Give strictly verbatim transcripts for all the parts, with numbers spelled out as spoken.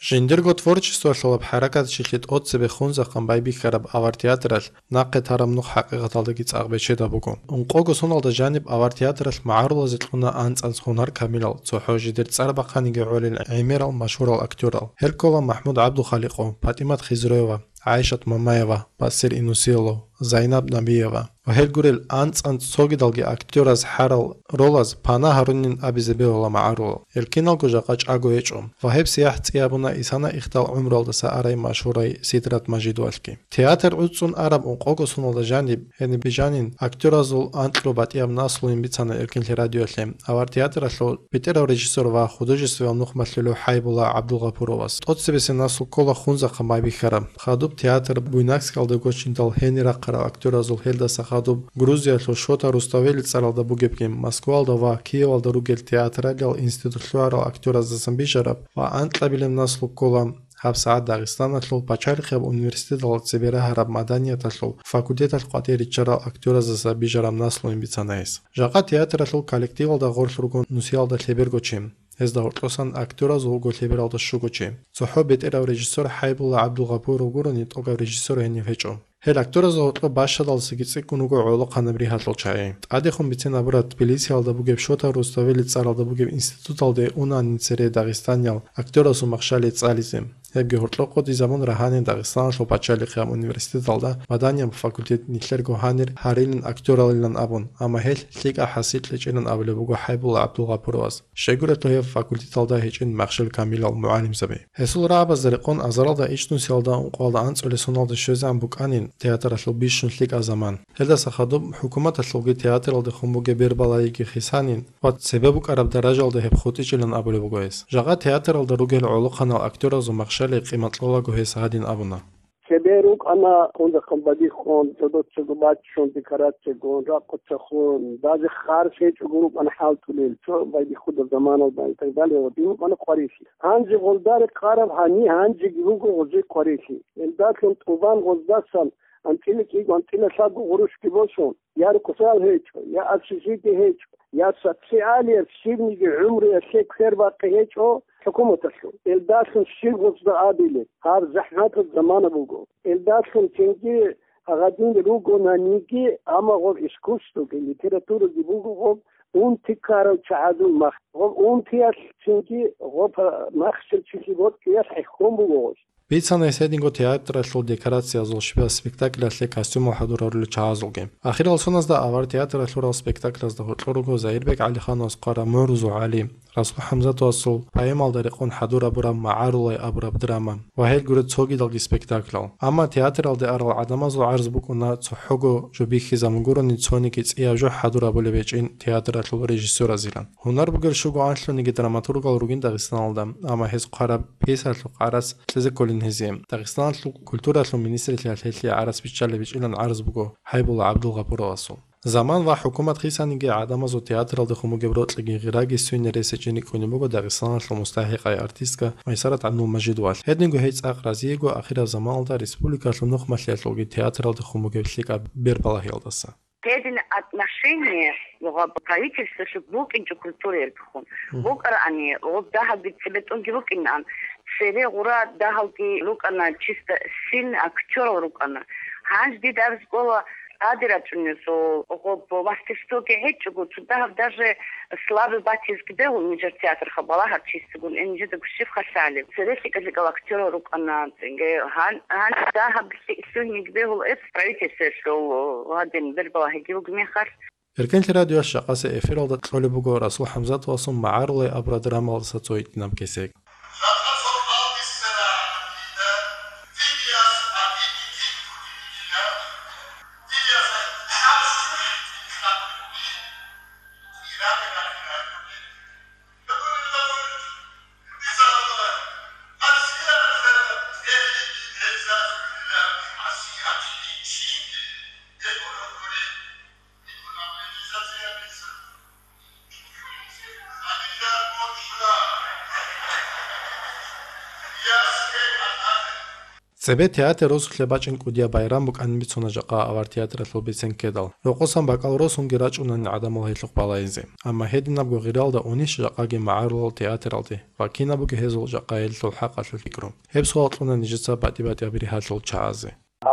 Жиндирго творчествоялъулаб хӀаракатчилъи тӀоцебе хунзахъан байбихьараб авар театралъ нахъе тараб нух хӀакъикъаталдаги цӀакъ бечедаб буго. Ункъого соналда жаниб авар театралъ магӀарулазе кьуна анцӀанц гьунар камилал, цохӀо жидер цӀар бахъаниги гӀолел гӀемерал машгьурал актёрал. Гьел ккола МахӀмуд ГӀабдулхаликъов, ПатӀимат Хизроева, ГӀайшат Мамаева, Басир Инусилов, Зайнаб Набиева ва гьел гурел анцӀанц цогидалги актёраз хӀарал ролаз пана гьарунин абизе бегьула магӀарулал. Гьел киналго жакъа чӀаго гьечӀо. Ва гьеб сияхӀ цӀи гьабуна исана ихдал гӀумруялдаса арай машгьурай Сидрат Мажидовалъги. Театр гӀуцӀцӀун араб ункъого соналда жаниб, гьениб жанин, актёразул анкьго батӀияб наслуйин бицана Эркинлъи радиоялъе, авар театралъул бетӀерав режиссёр ва художествояв нухмалъулев ХӀайбулла ГӀабдулгъапуровас. ТӀоцебесеб наслу ккола хунзахъан байбихьараб. Хадуб театр буйнакскалда гочиндал гьенир рахъарал актёразул, гьелдаса хадуб Грузиялъул Шота Руставели цӀаралда бугебги, Москвалда ва Киевалда ругел театралиял институт лъугӀарал актёраздасан бижараб ва анкьабилеб наслу ккола гьабсагӀат Дагъистаналъул пачалихъияб университеталда цебе рагьараб маданияталъул факультеталъ къватӀир риччарал актёраздаса бижараб наслуйин бицана гьес. Жакъа театралъул коллективалда гъорлъ руго нусиялда лъеберго чи. Гьезда гьоркьосан актёраз вуго лъебералда щуго чи. ЦохӀо бетӀерав режиссёр ХӀайбулла ГӀабдулгъапуров гурони, тӀокӀав режиссёр гьенив гьечӀо. Гьел актёразда гьоркьоб бащадалдасаги цӀикӀкӀун руго гӀолохъанаб ригьалъул чагӀи. ТӀадехун бицин абураб, Тбилисиялда бугеб Шота Руставели цӀаралда бугеб институталде унанин цере дагъистаниял актёрасул махщалие цӀализе. Гьебги гьоркьоб къотӀизабун рагьанин Дагъистаналъул пачалихъияб университеталда маданияб факультет нилъерго гьанир гьарилин актёралилан абун, амма гьелъ лъикӀаб хӀасил кьечӀилан абулеб буго ХӀайбулла ГӀабдулгъапуровас. Щайгурелъул гьеб факультеталда гьечӀин махщел камилал мугӀалимзаби. Гьесул рагӀабазда рекъон азаралда ичӀнусиялда ункъоялда анцӀулесуналда щвезегӀан букӀанин театралъул бищун лъикӀаб заман. Гьелдаса хадуб хӀукуматалъулги театралдехун бугеб бербалагьиги хисанин ва цебе букӀараб даражалда гьеб хутӀичӀилан абулеб буго гьес. Жакъа театралда ругел гӀолохъанал актёразул махщалие къимат кьолаго гьес гьадин абуна. Цебе рукӀана хунзахъан бадихьун, цодоцаго баччун, декорация гун, ракъуца хун, даже харс гьечӀого рукӀана хӀалтӀулел, цо байбихьуда заманалда и так далее, ва дин рукӀана хъварилъи. Гьанже гъолда рекъараб гьани гьанжеги руго гъозе хъварилъи. Элдалъун тӀубан гъоздасан анцӀила кӀиго, анцӀила лъабго гъурущги босун, я рукъзал гьечӀо, я общежитие гьечӀо, я социалияб щибниги гӀумруялъе квербакъи гьечӀо хӀукуматалъул. Элдалъун щиб гъозда абилеб, гьаб захӀматаб замана буго. Элдалъун цинги гьадин ругонаниги, амма гъоб искусствоги, литератураги буго гъоб унти ккарав чагӀазул мах. Гъоб унтиялъ цинги гъоб махщел чилъи бокьиялъ хӀехьон буго гъоз. Бицана гьес гьединго театралъул декорациязул щибаб спектакльалъе костюмал хӀадурарулел чагӀазулги. Ахирал соназда авар театралъ лъурал спектакльазда гьоркьор руго Загьирбек ГӀалихановас хъвараб МугӀрузул ГӀали, Расул ХӀамзатовасул поэмалда рекъон хӀадурабураб МагӀарулай абураб драма ва гьел гуреб цогидалги спектаклял. Амма театралде арал гӀадамазул гӀарз букӀуна цохӀого жо бихьизабун гурони цониги цӀияб жо хӀадурабулеб гьечӀин театралъул режиссёразилан. Гьунар бугел щуго анлъуниги драматургал ругин Дагъистаналда, амма гьез хъвараб пьесалъухъ гӀарац кьезе кколин гьезие. Дагъистаналъул культуралъул министрлъиялъ гьелъие гӀарац биччалеб-бичӀчӀилан гӀарз буго ХӀайбулла ГӀабдулгъапуровасул. Заман ва хӀукумат хисаниги гӀадамазул театралдехун бугеб рокьиги гъираги суйне рес гьечӀин рикӀкӀунеб буго Дагъистаналъул мустахӀикъай артистка Майсарат ГӀабдулмажидовалъ. Гьединго гьей цӀакъ разиего ахираб заманалда республикалъул нухмалъиялъулги театралдехун бугеб лъикӀаб бербалагьиялдаса. Гьедин отношение гьаб правительстволъулъ букӀинчӀо культураялдехун. Мгм. БукӀарани, гьаб дагьабги цебетӀунги букӀинан, цере гъура дагьалги рукӀана, чисто сильный актёрал рукӀана. Гьанже дида абизе ккола, тӀаде рачӀунезул гьаб мастерствоги гьечӀого, цо дагьаб даже слабый батизги бегьул нижер театрха балагьарчиясгун, э, нижеда гущев халлъалев. Цере лъикӀа-лъикӀал актёрал рукӀана, цинги гьан-, гьанже дагьаб лъи-, лъугьинги бегьул эс правительстволъул гьадин бербалагьиги бугеб мехалъ. Эркенлъи радиоялъ жакъасеб эфиралда кьолеб буго Расул ХӀамзатовасул МагӀарулай абураб драмалдаса цо гьитӀинаб кесек. Цебе театр росулъе бачӀин кӀудияб байрам букӀанин бицуна жакъа авар театралъул бицен ккедал. Рокъосан бакӀал росунги рачӀунани гӀадамал гьелъухъ балайзе. Амма гьединабго гъиралда унищ жакъаги магӀарулал театралде ва кинаб буго гьезул жакъа гьелъул хӀакъалъулъ пикру? Гьеб суал кьуна нижеца батӀи-батӀияб ригьалъул чагӀазе.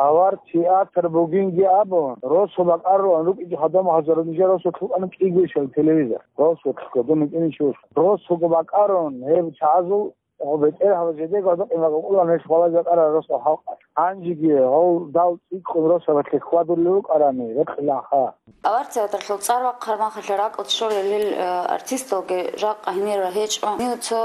Авар театр бугинги абун, росу бакӀарулан рукӀинчӀо гьадамал гьазарун нижер росулъ букӀана кӀигойищал телевизор. Росулъго, дун вукӀинищ вуш. Росуго бакӀарун, гьеб чагӀазул гьеб бетӀергьабаз жидеги гьадакъин бакӀулан гьелъ балазе бакӀарал росдал халкъ. Гьанжеги гьав дал цӀикӀкӀун росабалъе хьвадулев вукӀарани, рекъилаха. Авар театрлъул цӀар бахъараб мехалъ ракӀалде щолел гьел, э, артисталги жакъа гьенир гьечӀо. Гьенив цо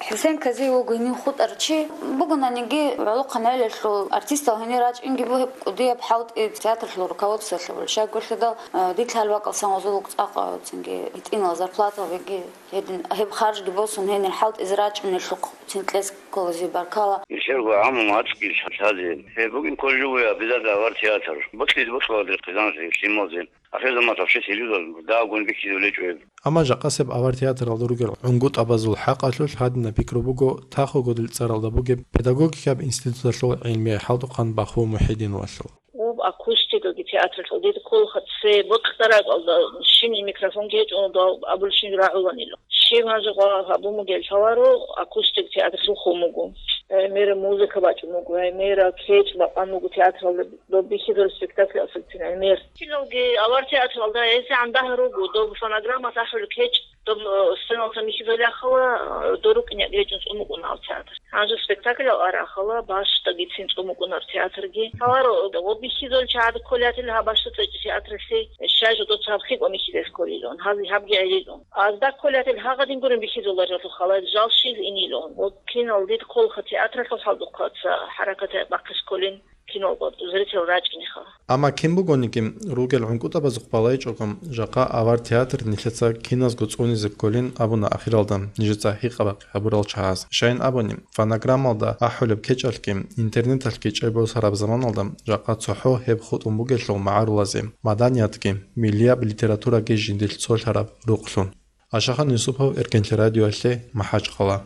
ХӀусен Казиев вуго гьенив хутӀарав чи. Бугонаниги, гӀолохъанал гӀелалъул артистал гьенир рачӀинги буго гьеб кӀудияб хӀалтӀи театрлъул руководствоялъул. Щайгурелъул, э, дица гьал бакӀалдасан гъозул цӀакъ, э, цинги гьитӀинал зарплатаби, гьедин гьеб харжги босун гьенир хӀалтӀизе рачӀунелъухъ цин кьезе кколазе баркала. Нилъерго гӀаму мацӀги лъазе. Гьеб бугин кколеб буго обязательно авар театр. Бокьизе бокьуларе хъизаналъе, лъималазе. Ахирзаман вообще телевизор дагьабгун бихьизабулеб гьечӀо гьеб. Амма жакъасеб авар театралда ругел гӀунгутӀабазул хӀакъалъулъ гьадинаб пикру буго Тахо-Гудил цӀаралда бугеб педагогикаб институталъул гӀилмияй хӀалтӀухъан Баху МухӀидиновалъул. Гьеб акустикаги театралъул дида кколаха, цебе бокьараб ракӀалда щибниги микрофонги гьечӀо, дов абулебщинги рагӀуланила. Щиб гьанже гьабун бугеб лъаларо, акустик театр лъухун буго. Гьай мера музыка бачӀун буго, гьай мера кечӀ бакъан буго театралда, доб бихьизараб спектакль асубицин гьай мер. Киналги авар театралда гьезегӀан дагьа руго, доб фонограммалъ ахӀулеб кечӀ, доб, э, сценалъа бихьизараб рахъала, э, дор рукӀине речӀун цӀун букӀуна гьав театр. Гьанже спектакль арахъала, бащдагицин цӀун букӀунар театрги. Гьаларо, э, ва бихьизул чагӀаз кколел гьаб бащда цӀечӀеб театралъе, щай жо доца гьаб хикӀун бихьизе кколилан, гьази гьабги гӀелилан. Азда кколел гьагъадин гурин бихьизуларелъул халайл жал щиз инилан. Ва кинал дид кколха театралъул хӀалтӀухъаца хӀаракат бахъизе кколин. Киналго зрителал рачӀинеха. Амма кин бугониги, ругел гӀунгутӀабазухъ балайчӀого, жакъа авар театр нилъеца киназго цӀунизе кколин абуна ахиралда нижеца гьикъа-бахъи гьабурал чагӀаз. Щайин абуни, фонограммалда ахӀулеб кечӀалъги, интернеталъги чӀей босараб заманалда жакъа цохӀо гьеб хутӀун бугелъул магӀарулазе, маданиятги, миллияб литератураги жиндилъ цолъараб рукълъун. Ашахан Юсупов, Эркенлъи радиоялъе, МахӀачхъала.